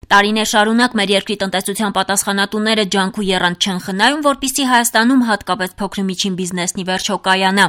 Տարիներ շարունակ մեր երկրի տնտեսության պատասխանատուները ջանք ու եռանդ չեն խնայում, որպեսզի Հայաստանում հատկապես փոքր ու միջին բիզնեսն ի վերջո կայանա։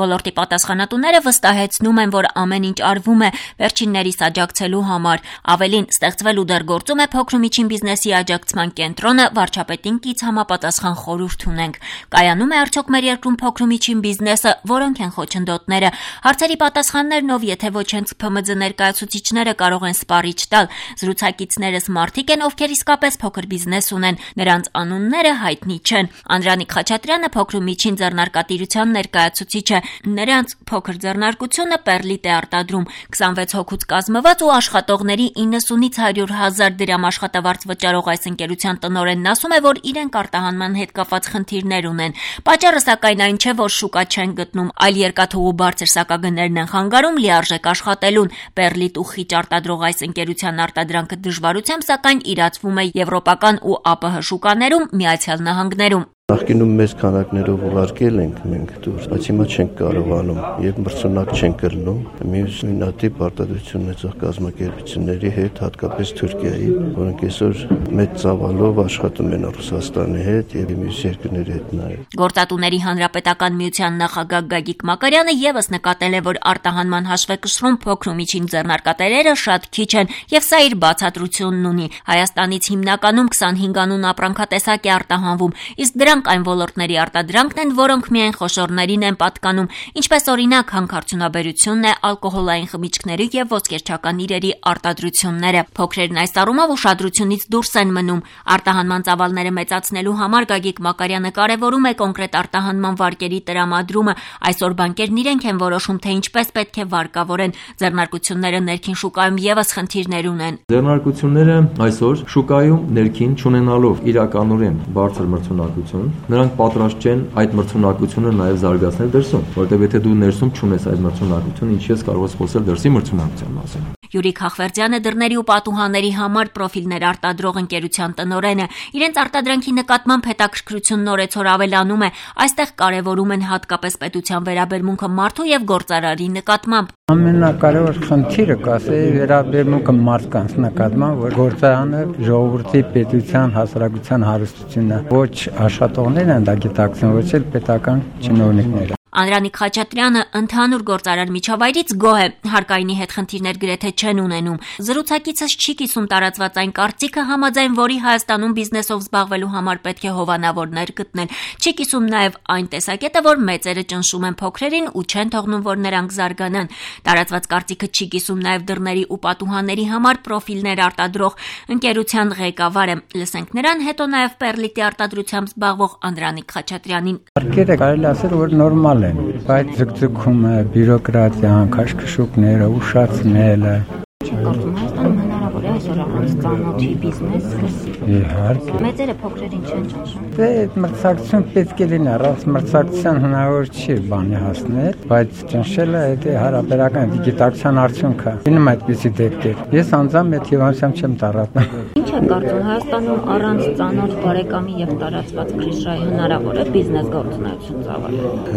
Ոլորտի պատասխանատուները վստահեցնում են, որ ամեն ինչ արվում է վերջիններիս աջակցելու համար։ Ավելին, ստեղծվել ու դեռ գործում է փոքր ու միջին բիզնեսի աջակցման կենտրոնը, վարչապետին կից համապատասխան խորհուրդ ունենք։ Կայանում է արդյոք մեր երկրում փոքր ու միջին բիզնեսը, որոնք են խոչընդոտները։ Հարցերի պատասխաններն ով եթե ոչ հենց ՓՄԶ ներկայացուցիչները կարող են սպառիչ տալ։ Զրուցակիցներս մարդիկ են, ովքեր իսկապես փոքր բիզնես ունեն, նրանց անունները հայտնի չեն։ Անդրանիկ Խաչատրյանը փոքր ու միջին ձեռնարկատիրության ներկայացուցիչ է։ Նրանց փոքր ձեռնարկությունը Պերլիտ է արտադրում 26 հոգուց կազմված ու աշխատողների 90-ից 100,000 դրամ աշխատավարձ վճարող այս ընկերության տնօրենն ասում է, որ իրենք արտահանման հետ կապված խնդիրներ ունեն։ Պատճառը սակայն այն չէ, որ շուկա չեն գտնում, այլ երկաթուղու բարձր սակագներն են խանգարում լիարժեք աշխատելուն։ Պերլիտ ու խիճ արտադրող այս ընկերության արտադրանքը դժվարությամբ սակայն իրացվում է եվրոպական ու ԱՊՀ շուկաներում, Միացյալ Նահանգներում։ Նախկինում մեծ քանակներով ուղարկել ենք մենք դուրս, բայց հիմա չենք կարողանում եւ մրցունակ չենք կրնում մյուս նույնատիպ արտադրություն ունեցող կազմակերպությունների հետ, հատկապես Թուրքիայի, որոնք այսօր մեծ ծավալով աշխատում են Ռուսաստանի հետ եւ մյուս երկրների հետ նաեւ։ Գործատուների հանրապետական միության նախագահ Գագիկ Մակարյանը եւս նկատել է, որ արտահանման հաշվեկշռում փոքր ու միջին ձեռնարկատերերը շատ քիչ են եւ սա իր բացատրությունն ունի։ Հայաստանից հիմնականում 25 անուն ապրանքատեսակ է արտահանվում, իսկ դրանք այն ոլորտների արտադրանքն են, որոնք միայն խոշորներին են պատկանում, ինչպես օրինակ հանքարդյունաբերությունն է, ալկոհոլային խմիչքների եւ ոսկերչական իրերի արտադրությունները։ Փոքրերն այս առումով ուշադրությունից դուրս են մնում։ Արտահանման ծավալները մեծացնելու համար Գագիկ Մակարյանը կարևորում է կոնկրետ արտահանման վարկերի տրամադրումը։ Այսօր բանկերն իրենք են որոշում, թե ինչպես պետք է վարկավորեն։ Ձեռնարկությունները ներքին շուկայում եւս խնդիրներ ունեն։ Ձեռնարկությունները այսօր շուկայում ներքին չունենալով իրականորեն բարձր մրցունակություն, նրանք պատրաստ չեն այդ մրցունակությունը նաև զարգացնել դրսում, որտեղ եթե դու ներսում չունես այդ մրցունակությունը, ինչի՞ ես կարող ես խոսել դրսի մրցունակության մասին։ Յուրիկ Հախվերդյանը դռների ու պատուհանների համար պրոֆիլներ արտադրող ընկերության տնօրեն է։ Իրենց արտադրանքի նկատմամբ հետաքրքրությունն օրեցօր ավելանում է։ Այստեղ կարևորում են հատկապես պետության վերաբերմունքը մարդու եւ գործարարի նկատմամբ։ Ամենակարևոր խնդիրը կասեի վերաբերմունքը մարդկանց նկատմամբ, որ գործարանը ժողովրդի պետության հասարակության հարստությունն է, ոչ աշխատողներն են դա գիտակցում, ոչ էլ պետական чиновникները։ Անդրանիկ Խաչատրյանը ընդհանուր գործարար միջավայրից գոհ է, հարկայինի հետ խնդիրներ գրեթե չեն ունենում։ Զրուցակիցս չի կիսում տարածված այն կարծիքը, համաձայն որի Հայաստանում բիզնեսով զբաղվելու համար պետք է հովանավորներ գտնել։ Չի կիսում նաև այն տեսակետը, որ մեծերը ճնշում են փոքրերին ու չեն թողնում, որ նրանք զարգանան։ Տարածված կարծիքը չի կիսում նաև դռների ու պատուհանների համար պրոֆիլներ արտադրող ընկերության ղեկավարը։ Լսենք նրան, հետո նաև Պերլիտի արտադրությամբ զբաղվող Անդրանիկ Խաչատրյանին։ Արկերը կարելի ասել, որ նորմալ բայց ձգձգումը, բյուրոկրատիան, քաշքշուկները, ուշացնելը Կարծում Հայաստանում հնարավոր է այսօր առանց ծանոթի բիզնես սկսել։ Իհարկե։ Մեծերը փոքրերին չեն ճնշում։ Դե մրցակցություն պետք է լինի, առանց մրցակցության հնարավոր չի բանի հասնել, բայց ճնշելը դա հարաբերական գիտակցության արդյունք է։ Լինում այդպիսի դեպքեր։ Ես անձամբ այդ հիվանդությամբ չեմ տարածում։ Ինչ է կարծում Հայաստանում առանց ծանոթ բարեկամի եւ տարածված քրիշայի հնարավոր է բիզնես գործունեություն ծավալել։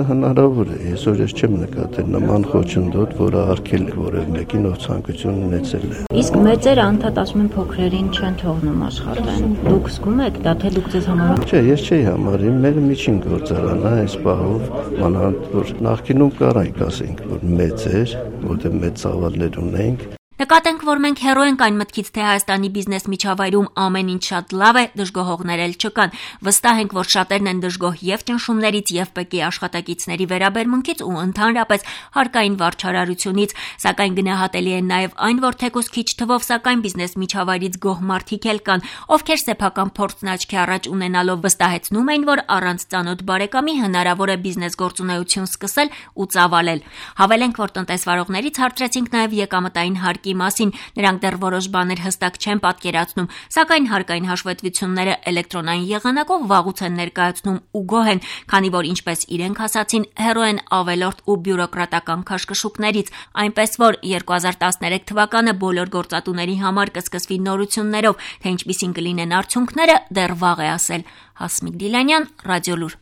Հնարավոր է։ Այսօր ես չեմ նկատել նման խոչընդոտ, որը արգել որևէ մեկին ով ցանկություն ունեցել է։ Իսկ մեծերը անդադ ասում են փոքրերին չեն թողնում աշխատեն։ Դուք զգում եք դա, թե դուք ձեզ համարում Չէ, ես չէի համարում, մեր միջին գործարանն է այս պահով, մանավանդ որ նախկինում կարայք ասենք, որ մեծ էր, որտեղ մեծ ծավալներ ունենք։ Նկատենք, որ մենք հեռու ենք այն մտքից, թե Հայաստանի բիզնես միջավայրում ամեն ինչ շատ լավ է, դժգոհողներ էլ չկան։ Վստահ ենք, որ շատերն են դժգոհ եւ ճնշումներից, եւ ՊԿ-ի աշխատակիցների վերաբերմունքից ու ընդհանրապես հարկային վարչարարությունից, սակայն գնահատելի է նաեւ այն, որ թեկուզ քիչ թվով, սակայն բիզնես միջավայրից գոհ մարդիկ էլ կան, ովքեր սեփական փորձն աչքի առաջ ունենալով վստահեցնում էին, որ առանց ծանոթ բարեկամի հնարավոր է բիզնես գործունեություն սկսել ու ծավալել։ Հավելենք, որ տնտեսվարողներից հարցրեցինք նաեւ եկամտային հարկի մասին, նրանք դեռ որոշ բաներ հստակ չեն պատկերացնում, սակայն հարկային հաշվետվությունները էլեկտրոնային եղանակով վաղուց են ներկայացնում ու գոհ են, քանի որ ինչպես իրենք ասացին, հեռու են ավելորդ ու բյուրոկրատական քաշքշուկներից, այնպես որ 2013 թվականը բոլոր գործատուների համար կսկսվի նորություններով, թե ինչպիսին կլինեն արդյունքները, դեռ վաղ է ասել։ Հասմիկ Դիլանյան, Ռադիոլուր։